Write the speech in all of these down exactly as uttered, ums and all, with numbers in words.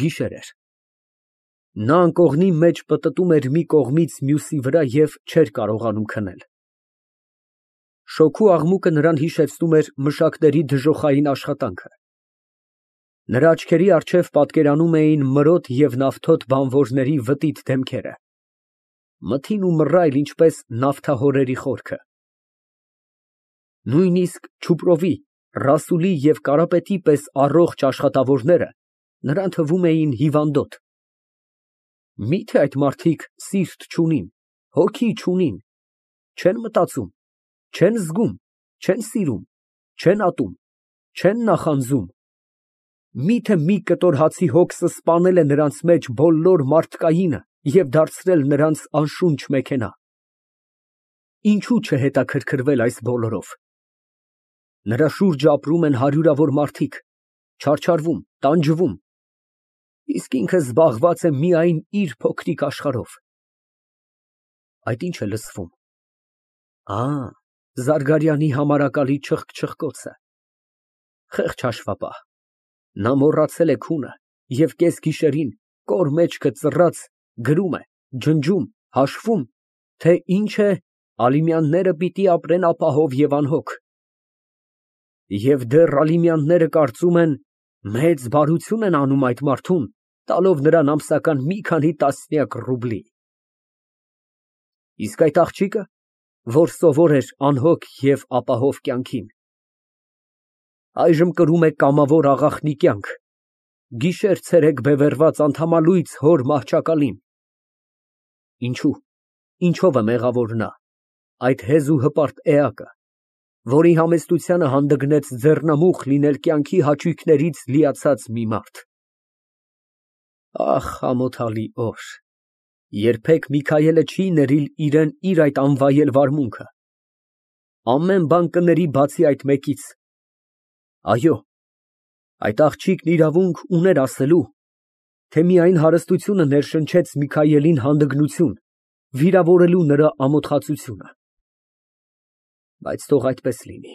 Գիշեր էր։ Նա անկողնի մեջ պտտում էր մի կողմից մյուսի վրա և չէր կարողանում քնել։ Շոգու աղմուկը նրան հիշեցնում էր մշակների դժոխային աշխատանքը։ Նրա աչքերի առջև պատկերանում էին մրոտ և նավթոտ բանվորների վտիտ դեմքերը, մթին ու մռայլ, ինչպես նավթահորերի խորքը։ Նույնիսկ չուպրովի, Ռասուլի և Կարապետի պես առողջ աշխատավորները նրան թվում էին հիվանդոտ։ Մի՞թե այդ մարդիկ սիրտ չունին, հոգի չունին, չեն մտածում, չեն զգում, չեն սիրում, չեն ատում, չեն նախանձում։ Մի՞թե մի կտոր հացի հոգսը սպանել է նրանց մեջ բոլոր մարդկայինը և դարձրել նրանց անշունչ մեքենա։ Ինչո՞ւ չհետաքրքրվել այս բոլորով։ Նրա շուրջը ապրում են հարյուրավոր մարդիկ, չարչարվում, տանջվում, իսկ ինքը զբաղված է միայն իր փոքրիկ աշխարհով։ Այդ ի՞նչ է լսվում։ Ա, Զարգարյանի համարակալի չխկ֊չխկոցը։ Խեղճ հաշվապահ, նա մոռացել է քունը և կեսգիշերին, կոր մեջքը ծռած, գրում է, ջնջում, հաշվում, թե ինչ է Ալիմյանները պիտի ապրեն ապահով և անհոգ։ Եվ դեռ Ալիմյանները կարծում են մեծ բարություն են անում այդ մարդուն, տալով նրան ամսական մի քանի տասնյակ ռուբլի։ Իսկ այդ աղջիկը, որ սովոր էր անհոգ և ապահով կյանքին, այժմ կրում է կամավոր աղախնի կյանք, գիշեր֊ցերեկ բևեռված անդամալույծ հոր մահճակալին։ Ինչո՞ւ, ինչով է մեղավոր նա, այդ հեզ ու հպարտ էակը, որի համեստությանը հանդգնեց ձեռնամուխ լինել կյանքի հաճույքներից լիացած մի մարդ։ Ահ, ամոթալի օր, երբեք Միքայելը չի ներիլ իրան իր այդ անվայել վարմունքը։ Ամեն բան կների բացի այդ մեկից։ Այո, այդ աղջիկն իրավունք ուներ ասելու, թե միայն հարստությունը ներշնչեց Միքայելին հանդգնություն, վիրավորելու նրա ամոթխածությունը։ Բայց թող այդպես լինի։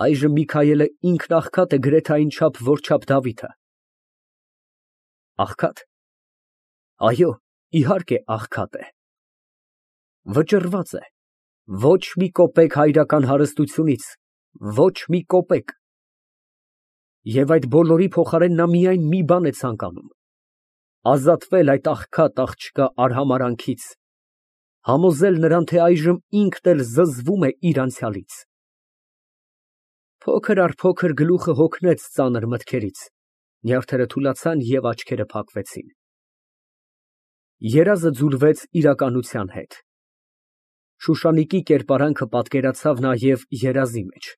Այժմ Միքայելը ինքն աղքատ է գրեթե այնչափ, որչափ Դավիթը։ Աղքա՞տ։ Այո, իհարկե աղքատ է։ Վճռված է, ոչ մի կոպեկ հայրական հարստությունից, ոչ մի կոպեկ։ Եվ այդ բոլորի փոխարեն նա միայն մի բան է ցանկանում, ազատվել այդ աղքատ աղջկա արհամարհանքից, համոզել նրան, թե այժմ ինքն էլ զզվում է իր անցյալից։ Փոքր առ փոքր գլուխը հոգնեց ծանր մտքերից, նյարդերը թուլացան և աչքերը փակվեցին։ Երազը ձուլվեց իրականության հետ։ Շուշանիկի կերպարանքը պատկերացավ նաև երազի մեջ։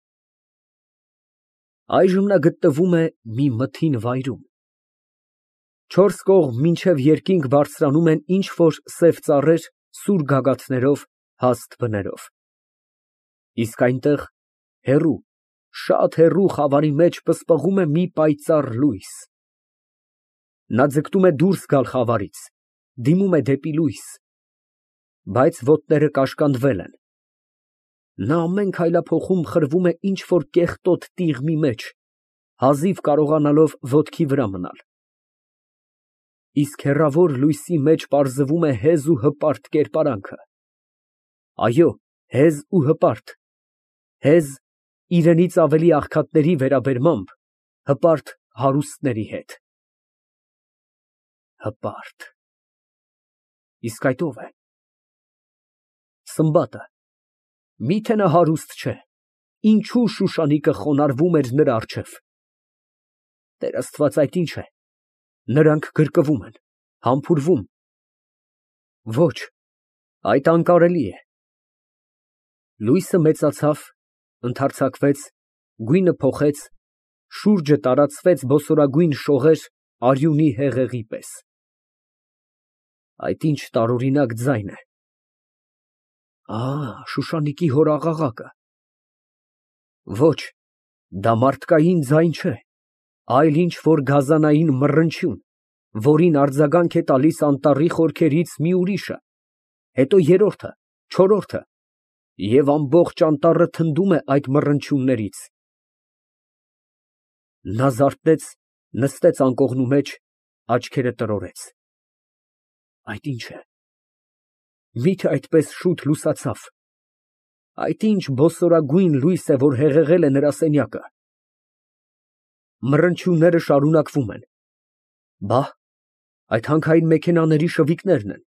Այժմ նա գտնվում է մի մթին վայրում։ Չորս կողմ մինչև երկինք բարձրանում են ինչ֊որ սև ծառեր սուր գագաթներով, հաստ բներով։ Իսկ այնտեղ, հեռու, շատ հեռու խավարի մեջ պսպղում է մի պայծառ լույս։ Նա ձգտում է դուրս գալ խավարից, դիմում է դեպի լույս, բայց ոտները կաշկանդվել են։ Նա ամեն քայլափոխում խրվում է ինչ֊որ կեղտոտ տիղմի մեջ, հազիվ կարողանալով ոտքի վրա մնալ։ Իսկ հեռավոր լույսի մեջ պարզվում է հեզ ու հպարտ կերպարանքը։ Այո, հեզ ու հպարտ, հեզ իրենից ավելի աղքատների վերաբերմամբ, հպարտ հարուստների հետ։ Հպարտ։ Իսկ այդ ո՞վ է։ Սմբատը։ Մի՞թե նա հարուստ չէ, ինչո՞ւ Շուշանիկը խոնարհվում էր նրա առջև։ Տեր Աստված, այդ ի՞նչ է։ Նրանք գրկվում են, համբուրվում։ Ոչ, այդ անկարելի է։ Լույսը մեծացավ, ընդարձակվեց, գույնը փոխեց, շուրջը տարածվեց բոսորագույն շողեր արյունի հեղեղի պես։ Այդ ի՞նչ տարօրինակ ձայն է։ Ա, Շուշանիկի հոր աղաղակը։ Ոչ, դա մարդկային ձայն չէ, այլ ինչ֊որ գազանային մռնչյուն, որին արձագանք է տալիս անտառի խորքերից մի ուրիշը, հետո երրորդը, չորրորդը, և ամբողջ անտառը թնդում է այդ մռնչյուններից։ Նա զարթնեց, Նստեց անկողնու մեջ, աչքերը տրորեց։ Այդ ի՞նչ է։ Մի՞թե այդպես շուտ լուսացավ։ Այդ ի՞նչ բոսորագույն լույս է, որ հեղեղել է նրա սենյակը։ Մռնչյունները շարունակվում են։ Բա՞, այդ հանքային մեքենաների շվիկներն են։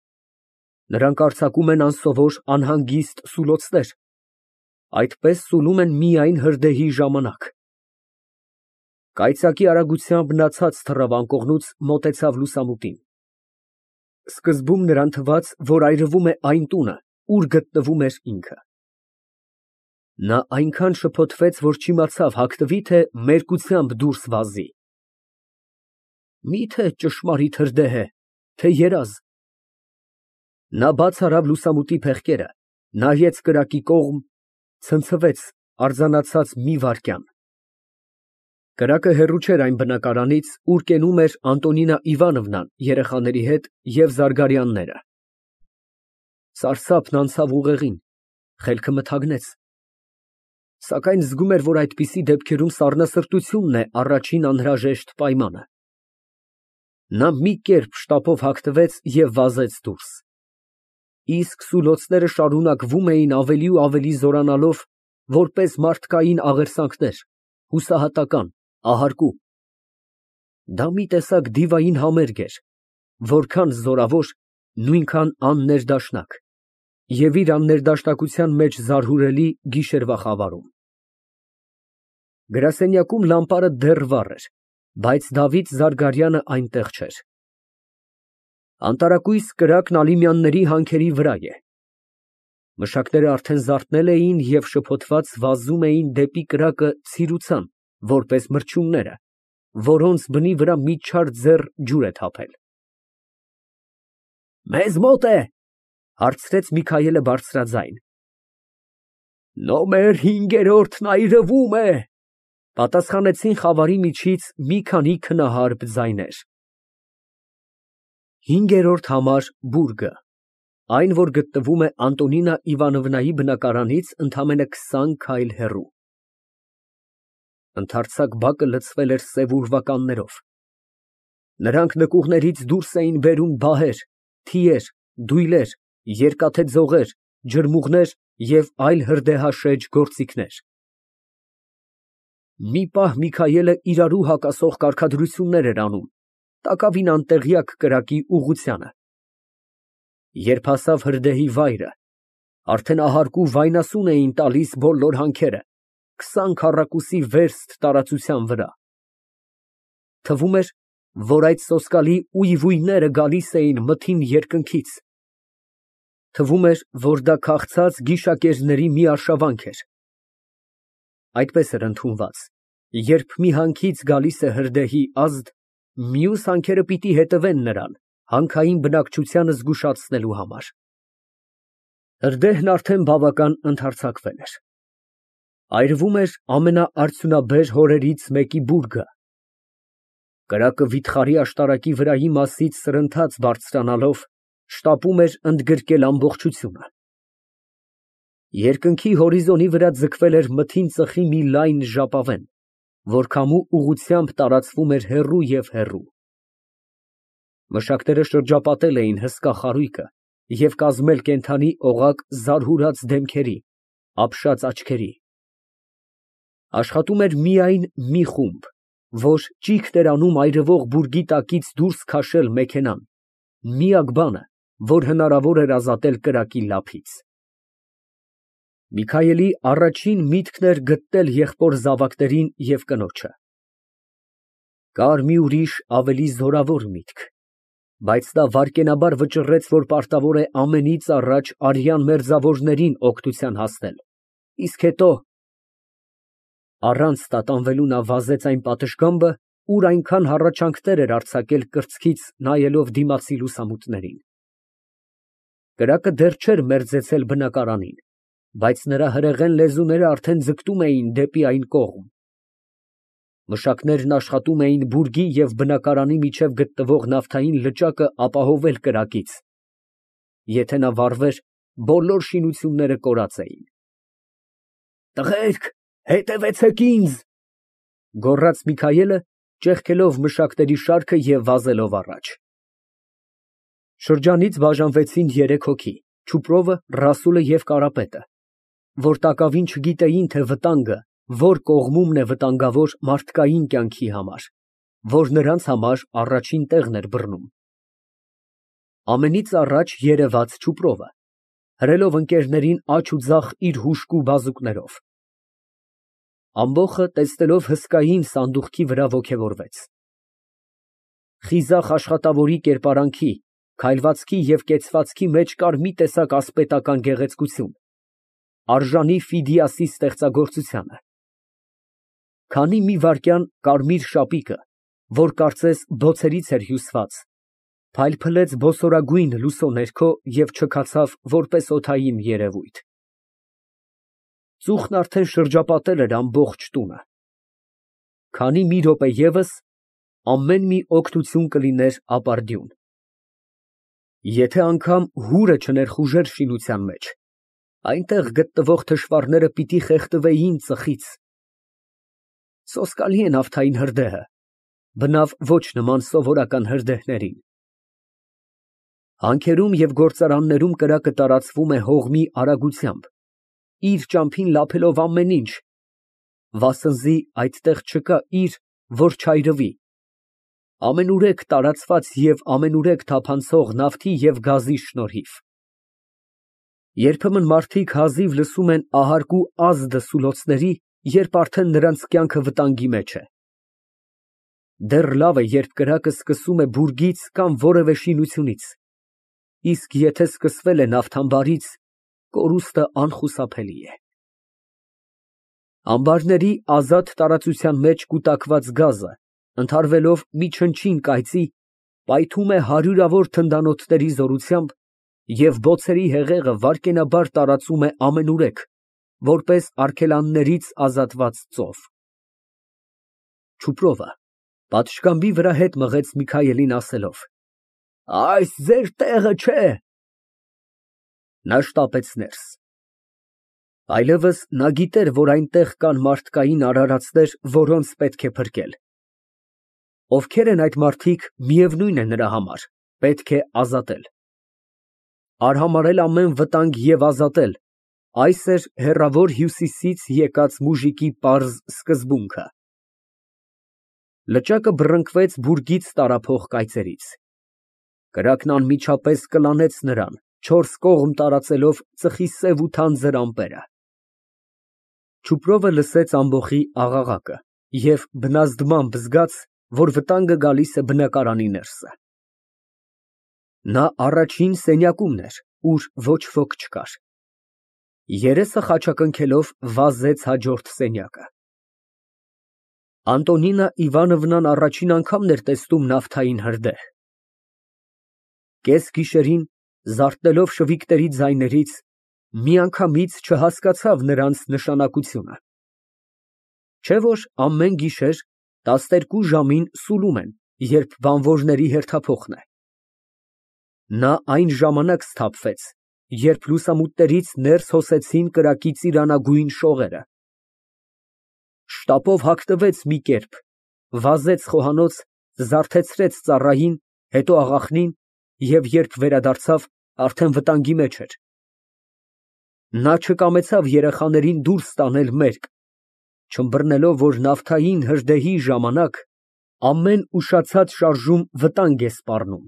Նրանք արձակում են անսովոր, անհանգիստ սուլոցներ։ Այդպես սուլում են միայն հրդեհի ժամանակ։ Կայծակի արագությամբ նա ցած թռավ անկողնուց, մոտեցավ լուսամուտին։ Սկզբում նրան թվաց, որ այրվում է այն տունը, ուր գտնվում էր ինքը։ Նա այնքան շփոթվեց, որ չիմացավ հագնվի, թե մերկությամբ դուրս վազի։ Մի՞թե ճշմարիտ հրդեհ է, թե երազ։ Նա բաց արավ լուսամուտի փեղկերը, նայեց կրակի կողմ, ցնցվեց, արձանացած մի վայրկյան։ Կրակը հեռու չէր այն բնակարանից, ուր կենում էր Անտոնինա Իվանովնան երեխաների հետ և Զարգարյանները։ Սարսափն անցավ ուղեղին, խելքը մթագնեց։ Սակայն զգում էր, որ այդպիսի դեպքերում սառնասրտությունն է առաջին անհրաժեշտ պայմանը։ Նա մի կերպ շտապով հագնվեց և վազեց դուրս։ Իսկ սուլոցները շարունակվում էին ավելի ու ավելի զորանալով, որպես մարդկային աղերսանքներ, հուսահատական, ահարկու։ Դա մի տեսակ դիվային համերգ էր, որքան զորավոր, նույնքան աններդաշնակ, և իր աններդաշնակության մեջ զարհուրելի գիշերվա խավարում։ Գրասենյակում լամպարը դեռ վառ էր, բայց Դավիթ Զարգարյանը այնտեղ չէր։ Անտարակույս կրակն Ալիմյանների հանքերի վրա է։ Մշակները արդեն զարթնել էին և շփոթված վազում էին դեպի կրակը ցիրուցան, որպես մրջյունները, որոնց բնի վրա մի չար ձեռ ջուր է թափել։ Մեզ մոտ է, հարցրեց Միքայելը բարձրաձայն։ Նոմեր հինգերորդն այրվում է, պատասխանեցին խավարի միջից մի քանի քնահարբ ձայներ։ Հինգերորդ համար բուրգը, այն, որ գտնվում է Անտոնինա Իվանովնայի բնակարանից ընդամենը քսան քայլ հեռու։ Ընդարձակ բակը լցվել էր սև ուրվականներով։ Նրանք նկուղներից դուրս էին բերում բահեր, թիեր, դույլեր, երկաթե ձողեր, ջրմուղներ և այլ հրդեհաշեջ գործիքներ։ Մի պահ Միքայելը իրարու հակասող կարգադրություններ էր անում, տակավին անտեղյակ կրակի ուղղությանը։ Երբ հասավ հրդեհի վայրը, արդեն ահարկու վայնասուն էին տալիս բոլոր հանքերը, քսան քառակուսի վերստ տարածության վրա։ Թվում էր, որ այդ սոսկալի ույվույները գալիս էին մթին երկնքից։ Թվում էր, որ դա քաղցած գիշակերների մի արշավանք էր։ Այդպես էր ընդունված, երբ մի հանքից գալիս է հրդեհի ազդ, մյուս հանքերը պիտի հետևեն նրան, հանքային բնակչությանը զգուշացնելու համար։ Հրդեհն արդեն բավական ընդհարձակվել էր։ Այրվում էր ամենաարդյունաբեր հորերից մեկի բուրգը։ Կրակը վիթխարի աշտարակի վրայի մասից սրընթաց բարձրանալով, շտապում էր ընդգրկել ամբողջությունը։ Երկնքի հորիզոնի վրա ձգվել էր մթին ծխի մի լայն ժապավեն, որ քամու ուղղությամբ տարածվում էր հեռու և հեռու։ Մշակները շրջապատել էին հսկա խարույկը և կազմել կենդանի օղակ զարհուրած դեմքերի, ապշած աչքերի։ Աշխատում էր միայն մի խումբ, որ ճիգ էր անում այրվող բուրգի տակից դուրս քաշել մեքենան, միակ բանը, որ հնարավոր էր ազատել կրակի լափից։ Միքայելի առաջին միտքն էր գտնել եղբոր զավակներին և կնոջը։ Կար մի ուրիշ, ավելի զորավոր միտք, բայց նա վայրկենաբար վճռեց, որ պարտավոր է ամենից առաջ արյան մերձավորներին օգնության հասնել, իսկ հետո… Առանց տատանվելու նա վազեց այն պատշգամբը, ուր այնքան հառաչանքներ էր արձակել կրծքից նայելով դիմացի լուսամուտներին։ Կրակը դեռ չէր մերձեցել բնակարանին, բայց նրա հրեղեն լեզուները արդեն ձգտում էին դեպի այն կողմ։ Մշակներն աշխատում էին բուրգի և բնակարանի միջև գտնվող նավթային լճակը ապահովել կրակից։ Եթե նա վառվեր, բոլոր շինությունները կորած էին։ Տղերք, հետևեցեք ինձ, գոռաց Միքայելը, ճեղքելով մշակների շարքը և վազելով առաջ։ Շրջանից բաժանվեցին երեք հոգի՝ Չուպրովը, Ռասուլը և Կարապետը, որ տակավին չգիտեին, թե վտանգը որ կողմումն է վտանգավոր մարդկային կյանքի համար, որ նրանց համար առաջին տեղն էր բռնում։ Ամենից առաջ երևաց Չուպրովը, հրելով ընկերներին աջ ու ձախ իր հուժկու բազուկներով։ Ամբոխը, տեսնելով հսկային սանդուղքի վրա, ոգևորվեց։ Խիզախ աշխատավորի կերպարանքի, քայլվածքի և կեցվածքի մեջ կար մի տեսակ ասպետական գեղեցկություն, արժանի Ֆիդիասի ստեղծագործությանը։ Քանի մի վայրկյան կարմիր շապիկը, որ կարծես բոցերից էր հյուսված, փայլփլեց բոսորագույն լուսո ներքո և չքացավ որպես օդային երևույթ։ Ծուխն արդեն շրջապատել էր ամբողջ տունը։ Քանի մի րոպե ևս, ամեն մի օգնություն կլիներ ապարդյուն։ Եթե անգամ հուրը չներխուժեր շինության մեջ, այնտեղ գտնվող թշվառները պիտի խեղդվեին ծխից։ Սոսկալի է նավթային հրդեհը, բնավ ոչ նման սովորական հրդեհներին։ Հանքերում և գործարաններում կրակը տարածվում է հողմի արագությամբ, իր ճամփին լափելով ամեն ինչ, վասնզի այդտեղ չկա իր, որ չայրվի, ամենուրեք տարածված և ամենուրեք թափանցող նավթի և գազի շնորհիվ։ Երբեմն մարդիկ հազիվ լսում են ահարկու ազդը սուլոցների, երբ արդեն նրանց կյանքը վտանգի մեջ է։ Դեռ լավ է, երբ կրակը սկսում է բուրգից կամ որևէ շինությունից, իսկ եթե սկսվել է նավթամբարից, կորուստը անխուսափելի է։ Ամբարների ազատ տարածության մեջ կուտակված գազը, ընդհարվելով մի չնչին կայծի, պայթում է հարյուրավոր թնդանոթների զորությամբ և բոցերի հեղեղը վայրկենաբար տարածում է ամենուրեք, որպես արգելաններից ազատված ծով։ Չուպրովը պատշգամբի վրա հետ մղեց Միքայելին, ասելով. «Այս ձեր տեղը չէ»։ Նա շտապեց ներս։ Այլևս նա գիտեր, որ այնտեղ կան մարդկային արարածներ, որոնց պետք է փրկել։ Ովքեր են այդ մարդիկ, միևնույն է նրա համար, պետք է ազատել։ Արհամարհել ամեն վտանգ և ազատել, այս էր հեռավոր Հյուսիսից եկած մուժիկի պարզ սկզբունքը։ Լճակը բռնկվեց բուրգից տարափող կայծերից։ Կրակն անմիջապես կլանեց նրան, չորս կողմ տարածելով ծխի սև ու թանձր ամպերը։ Չուպրովը լսեց ամբոխի աղաղակը և բնազդմամբ զգաց, որ վտանգը գալիս է բնակարանի ներսը։ Նա առաջին սենյակումն էր, ուր ոչ ոք չկար։ Երեսը խաչակնքելով վազեց հաջորդ սենյակը։ Անտոնինա Իվանովնան առաջին անգամն էր տեսնում նավթային հրդեհ։ Կեսգիշերին, զարթնելով շվիքների ձայներից, միանգամից չհասկացավ նրանց նշանակությունը։ Չէ՞ որ ամեն գիշեր տասներկու ժամին սուլում են, երբ բանվորների հերթափոխն է։ Նա այն ժամանակ սթափվեց, երբ լուսամուտներից ներս հոսեցին կրակի ծիրանագույն շողերը։ Շտապով հագնվեց մի կերպ, վազեց խոհանոց, զարթեցրեց ծառային, հետո աղախնին և երբ վերադարձավ, արդեն վտանգի մեջ էր։ Նա չկամեցավ երեխաներին դուրս տանել մերկ, չըմբռնելով, որ նավթային հրդեհի ժամանակ ամեն ուշացած շարժում վտանգ է սպառնում։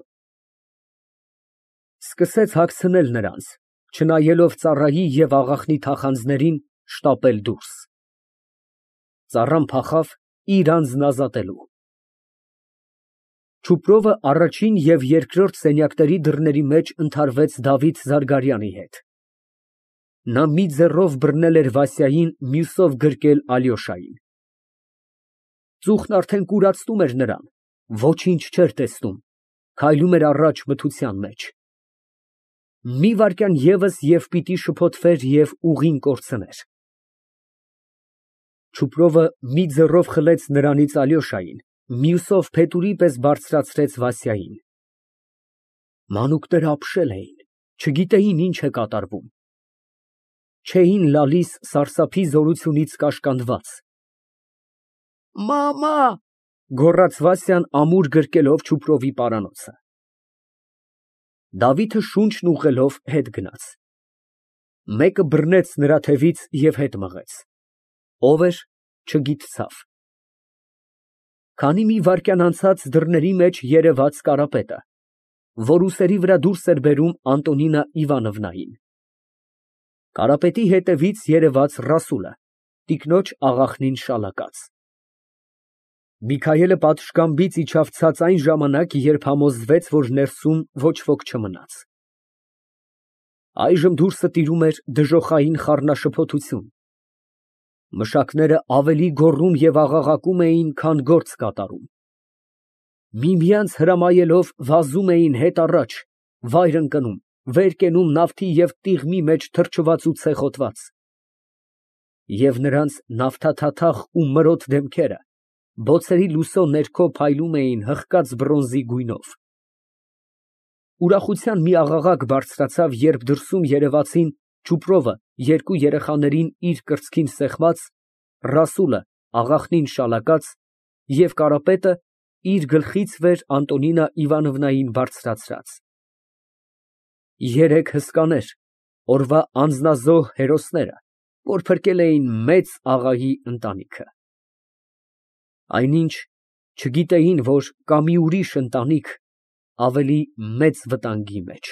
Սկսեց հագցնել նրանց, չնայելով ծառայի և աղախնի թախանձներին, շտապել դուրս։ Ծառան փախավ իր անձն ազատելու։ Չուպրովը առաջին և երկրորդ սենյակների դռների մեջ ընդհարվեց Դավիթ Զարգարյանի հետ։ Նա մի ձեռով բռնել էր Վասյային, մյուսով գրկել Ալյոշային։ Ծուխն արդեն կուրացնում էր նրան, ոչինչ չէր տեսնում, քայլում էր առաջ մթության մեջ։ Մի վայրկյան ևս և պիտի շփոթվեր և ուղին կորցներ։ Չուպրովը մի ձեռով խլեց նրանից Ալյոշային, մյուսով փետուրի պես բարձրացրեց Վասյային։ Մանուկները ապշել էին, չգիտեին ինչ է կատարվում։ Չէին լալիս սարսափի զորությունից կաշկանդված։ «Մամա, Գոռաց Վասյան ամուր գրկելով Չուպրովի պարանոցը։ Դավիթը շունչն ուղղելով հետ գնաց։ Մեկը բռնեց նրա թևից և հետ մղեց։ Ով էր ֊ չգիտցավ։ Քանի մի վայրկյան անցած դռների մեջ երևաց Կարապետը, որ ուսերի վրա դուրս էր բերում Անտոնինա Իվանովնային։ Կարապետի հետևից երևաց Ռասուլը, տիկնոջ աղախնին շալակած։ Միքայելը պատշգամբից իջավ ցած այն ժամանակ, երբ համոզվեց, որ ներսում ոչ ոք չմնաց։ Այժմ դուրսը տիրում էր դժոխային խառնաշփոթություն։ Մշակները ավելի գոռում և աղաղակում էին, քան գործ կատարում։ Միմյանց հրամայելով վազում էին հետ առաջ, վայր ընկնում, վեր կենում նավթի և տիղմի մեջ թրջված ու ցեխոտված։ Եվ նրանց նավթաթաթախ ու մրոտ դեմքերը բոցերի լուսո ներքո փայլում էին հղկած բրոնզի գույնով։ Ուրախության մի աղաղակ բարձրացավ, երբ դրսում երևացին Չուպրովը երկու երեխաներին իր կրծքին սեղմած, Ռասուլը աղախնին շալակած և Կարապետը իր գլխից վեր Անտոնինա Իվանովնային բարձրացրած։ Երեք հսկաներ, օրվա անձնազոհ հերոսները, որ փրկել էին մեծ աղայի ընտանիքը։ Այնինչ չգիտեին, որ կա մի ուրիշ ընտանիք ավելի մեծ վտանգի մեջ։